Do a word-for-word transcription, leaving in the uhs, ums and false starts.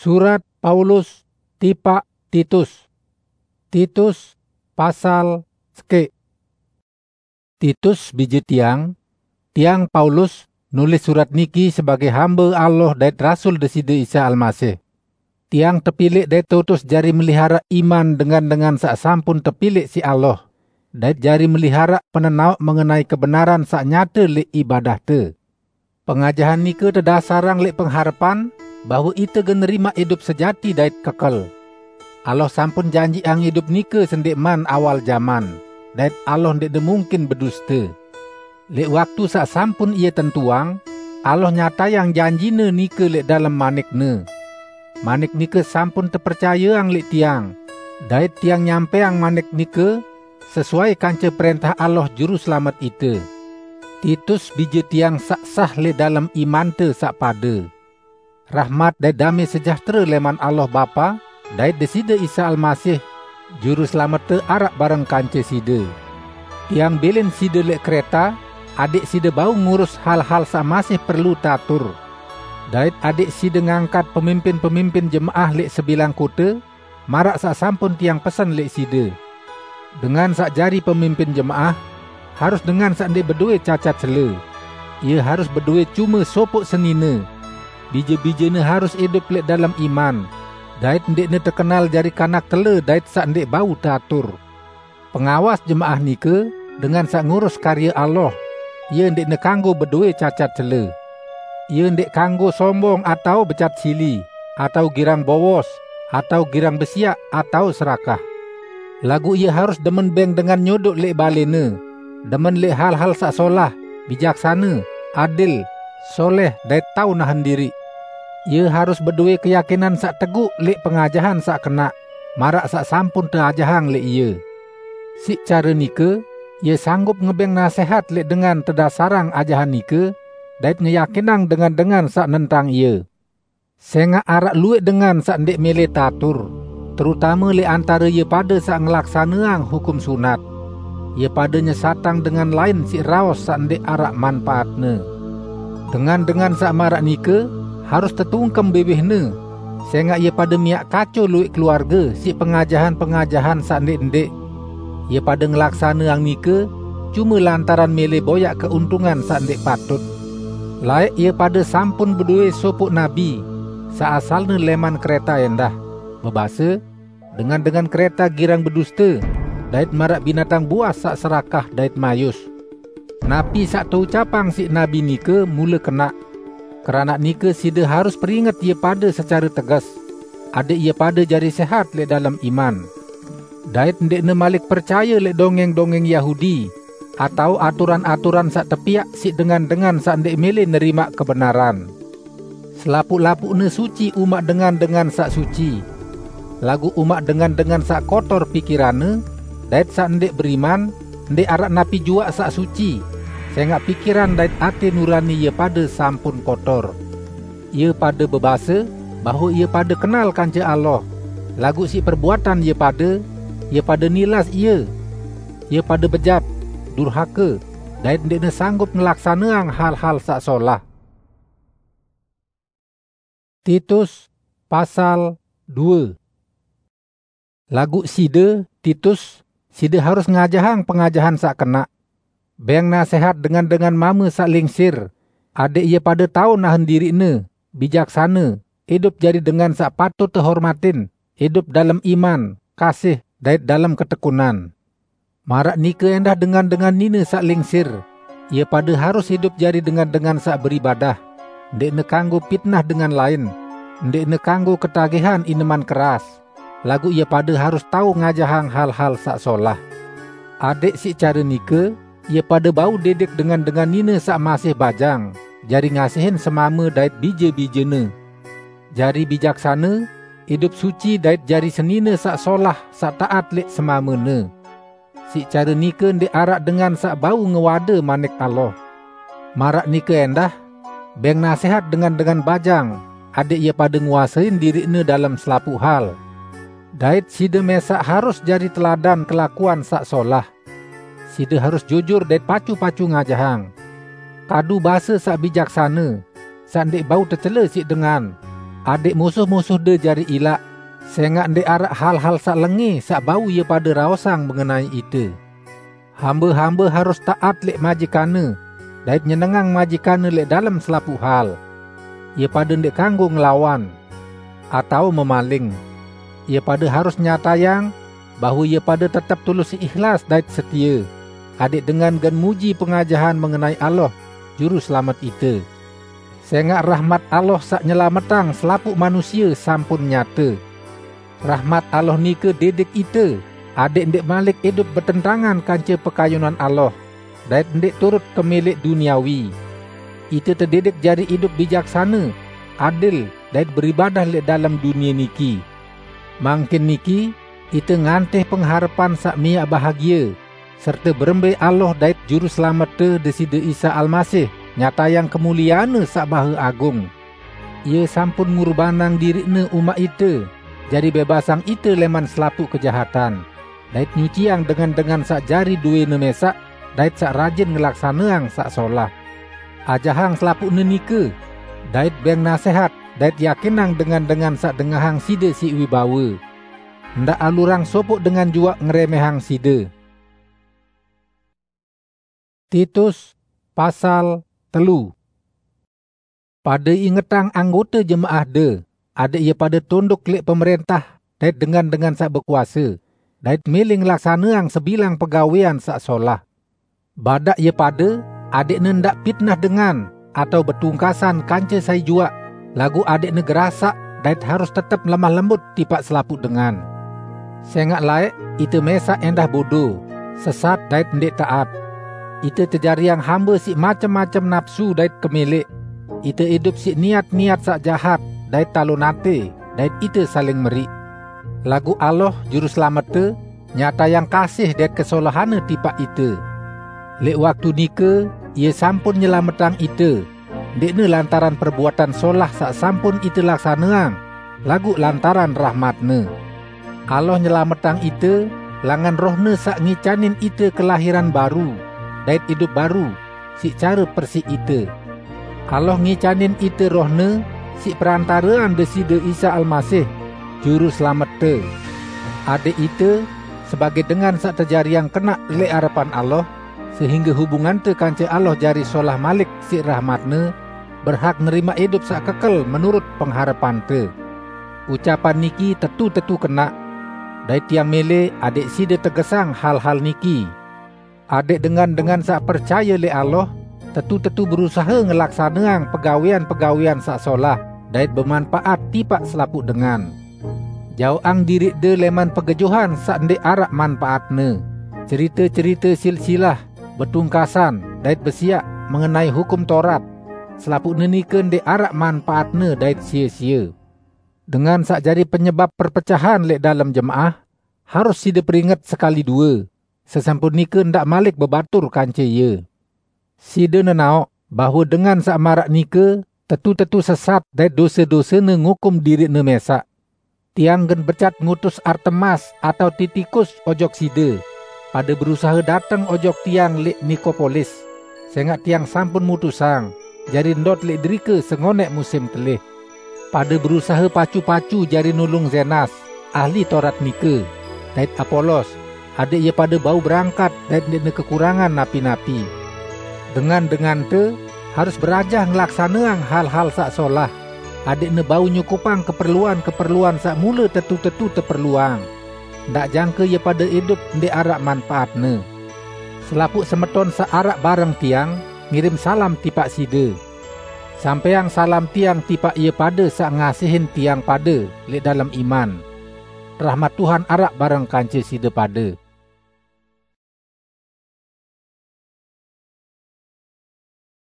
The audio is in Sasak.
Surat Paulus tipaq Titus. Titus pasal sekek. Titus bije tiang, tiang Paulus nulis surat niki sebagai hambe Allah dait rasul Deside Isa Almasih. Tiang tepileq dait tutus jari melihara iman dengan-dengan saq sampun tepileq siq Allah, dait jari melihara penenaoq mengenai kebenaran saq nyate leq ibadahte. Pengajahan nike tedasarang leq pengharepan bahwe ite gen nerimaq idup sejati dait kekel. Allah sampun janjiqang idup nike sendeqman awal jaman, dait Allah ndeqne mungkin beduste. Leq waktu saq sampun Ie tentuang, Allah nyatayang janjine nike leq dalem manik-Ne. Manik nike sampun tepercayeang leq tiang, dait tiang nyampeang manik nike sesuai kance prentah Allah Juruselamet ite. Titus bije tiang saq sah leq dalem imante saq pade. Rahmat dait dame sejahtere leman Allah Bapa dait Deside Isa Almasih, Juruselamette, araq bareng kance side. Tiang bilin side leq Kreta, adeq side bau ngurus hal-hal saq masih perlu tatur, dait adeq side ngangkat pemimpin-pemimpin jemaah leq sebilang kote, maraq saq sampun tiang pesen leq side. Dengan saq jari pemimpin jemaah harus dengan saq ndeq bedowe cacat cele. Ie harus bedowe cume sopoq senine. Bije-bijene harus idup leq dalem iman, dait ndeqne tekenal jari kanak tele dait saq ndeq bau tatur. Pengawas jemaah nike dengan saq ngurus karye Allah. Ie ndeqne kanggo bedowe cacat cele. Ie ndeq kanggo sombong atao becat sili, atao girang bowos, atao girang besiaq, atao serakah. Laguq ie harus demen beng dengan nyodoq leq balene, demen leq hal-hal saq solah, bijaksane, adil, soleh, dait tao nahen diriq. Ie harus bedowe keyakinan saq teguq leq pengajahan saq kenaq, maraq saq sampun teajahang leq ie. Siq care nike, ie sanggup ngebeng nasehat leq dengan tedasarang ajahan nike, dait ngeyakinang dengan-dengan saq nentang ie. Sengaq araq lueq dengan saq ndeq mele tatur, terutame leq antare ie pade saq ngelaksaneang hukum sunat. Ie pade nyesatang dengan lain siq raos saq ndeq araq manpaatne. Dengan-dengan saq maraq nike harus tetungkem biwihne, sengaq ie pade miaq kaco lueq keluarge siq pengajahan-pengajahan saq ndeq-ndeq. Ie pade ngelaksaneang nike cume lantaran mele boyaq keuntungan saq ndeq patut. Laeq ie pade sampun bedowe sopoq nabi, saq asalne leman Kreta endah, bebase, "Dengan-dengan Kreta girang beduste, dait maraq binatang buas saq serakah dait mayus." Napi saq teucapang siq nabi nike mule kenaq. Keranaq nike side harus peringet ie pade secare teges, adeq ie pade jari sehat leq dalem iman, dait ndeqne malik percaye leq dongeng-dongeng Yahudi atao aturan-aturan saq tepiaq siq dengan-dengan saq ndeq mele nerimaq kebenaran. Selapuq-lapuqne suci umaq dengan-dengan saq suci. Laguq umaq dengan-dengan saq kotor pikiranne dait saq ndeq beriman, ndeq araq napi juaq saq suci, sengaq pikiran dait ate nurani ie pade sampun kotor. Ie pade bebase bahwe ie pade kenal kance Allah, laguq siq perbuatan ie pade, ie pade nilas Ie. Ie pade bejat, durhake, dait ndeqne sanggup ngelaksaneang hal-hal saq solah. Titus pasal due. Laguq side, Titus, side harus ngajahang pengajahan saq kenaq. Beng nasehat dengan-dengan mame saq lingsir, adeq ie pade tao nahen diriqne, bijaksane, idup jari dengan saq patut tehormatin, idup dalem iman, kasih, dait dalem ketekunan. Maraq nike endah dengan-dengan nine saq lingsir, ie pade harus idup jari dengan-dengan saq beribadah, ndeqne kanggo pitnah dengan lain, ndeqne kanggo ketagihan ineman keras, laguq ie pade harus tao ngajahang hal-hal saq solah. Adeq siq care nike, ie pade bau didik dengan-dengan nine saq masih bajang, jari ngasihin semame dait bije-bijene, jari bijaksane, idup suci dait jari senine saq solah saq taat leq semamene. Siq care nike ndeq araq dengan saq bau ngewade manik Allah. Maraq nike endah, beng nasehat dengan-dengan bajang, adeq ie pade nguasein diriqne dalem selapuq hal. Dait side mesaq harus jari teladan kelakuan saq solah. Side harus jujur dait pacu-pacu ngajahang. Kadu base saq bijaksane, saq ndeq bau tecele siq dengan. adẽq musuh-musuhde jari ilaq, sẽngaq ndẽq araq hal-hal saq lengẽ saq bau ie pade raosang mengenai ite. Hambe-hambe harus taat lẽq majikanne, dait nyenengang majikanne lẽq dalem selapuq hal. Ie pade ndẽq kanggo ngelawan, atao memaling. Ie pade harus nyatayang bahwe ie pade tetep tulus ikhlas dait setie, adẽq dengan gen muji pengajahan mengenai Allah, Juru Selamet ite. Sẽngaq rahmat Allah saq nyelametang selapuq manusie sampun nyate. Rahmat Allah nike didik ite, adẽq ndẽq malik idup betentangan kance pekayunan Allah, dait ndẽq turut kemẽlẽq duniawi. Ite tedidik jari idup bijaksane, adil, dait beribadah lẽq dalem dunie niki. Mangkin niki, ite ngantih pengharepan saq miaq bahagie, serte berembe Allah dait Juru Selamette Deside Isa Almasih nyatayang kemulieanne saq bahe agung. Ie sampun ngurbanang diriqne umaq ite, jari bebasang ite lẽman selapuq kejahatan, dait nyuciang dengan-dengan saq jari dowẽne mẽsaq dait saq rajin ngelaksaneang saq solah. Ajahang selapuqne nike, dait bẽng nasẽhat, dait yakinang dengan-dengan saq dengahang side siq wibawe. Ndaq alurang sopoq dengan juaq ngerẽmẽhang side. Titus, pasal telu. Pade ingetang anggote jemaahde, adẽq ie pade tunduk lẽq pemerẽntah dait dengan-dengan saq bekuase, dait mele ngelaksaneang sebilang pegawẽan saq solah. Badaq ie pade, adẽqne ndaq pitnah dengan atao betungkasan kance sai juaq, laguq adẽqne gerasaq dait harus tetep lemah lembut tipaq selapuq dengan. Sẽngaq laẽq ite mẽsaq ẽndah bodo, sesat dait ndẽq taat. Ite tejariang hambe siq macem-macem napsu dait kemẽlẽq. Ite idup siq niat-niat saq jahat dait talon atẽ, dait ite saling meriq. Laguq Allah, Juru Selamette, nyatayang kasih dait kesolahanne tipaq ite. Lẽq waktu nike Ie sampun nyelametang ite, ndẽqne lantaran perbuatan solah saq sampun ite laksaneang, laguq lantaran rahmat-Ne. Allah nyelametang ite langan Roh-Ne saq ngicanin ite kelahiran baru dait idup baru siq care persiq ite. Allah ngicanin ite Roh-Ne siq perantarean Deside Isa Almasih, Juru Selamette, adẽq ite, sebagẽ dengan saq tejariang kenaq lẽq arepan Allah, sehingge hubungante kance Allah jari solah malik siq rahmat-Ne, berhak nerimaq idup saq kekel menurut pengharepante. Ucapan niki tetu-tetu kenaq, dait tiang mẽlẽ adẽq side tegesang hal-hal niki, adẽq dengan-dengan saq percaye lẽq Allah tetu-tetu berusahe ngelaksaneang pegawẽan-pegawẽan saq solah dait bemanpaat tipaq selapuq dengan. Jaoqang diriqde lẽman pegejuhan saq ndẽq araq manpaatne, cerite-cerite silsilah, betungkasan, dait besiaq mengenai Hukum Taurat. Selapuqne nike ndẽq araq manpaatne dait sie-sie. Dengan saq jari penyebap perpecahan lẽq dalem jemaah, harus side peringet sekali due, sesampun nike ndaq malik bebatur kance ie. Side nenaoq bahwe dengan saq maraq nike tetu-tetu sesat dait dose-dosene ngukum diriqne mẽsaq. Tiang gen becat ngutus Artemas atao Titikus ojok side. Pade berusahe dateng ojok tiang lẽq Nikopolis, sẽngaq tiang sampun mutusang jari ndot lẽq derike sengonẽq musim telih. Pade berusahe pacu-pacu jari nulung Zenas, ahli Taurat nike, dait Apolos, adẽq ie pade bau berangkat dait ndẽqne kekurangan napi-napi. Dengan-dengante harus berajah ngelaksaneang hal-hal saq solah, adẽqne bau nyukupang keperluan-keperluan saq mule tetu-tetu teperluang, ndaq jangke ie pade idup ndẽq araq manpaatne. Selapuq semeton saq araq bareng tiang ngirim salam tipaq side. Sampẽang salam tiang tipaq ie pade saq ngasihin tiang pade lẽq dalem iman. Rahmat Tuhan araq bareng kance side pade.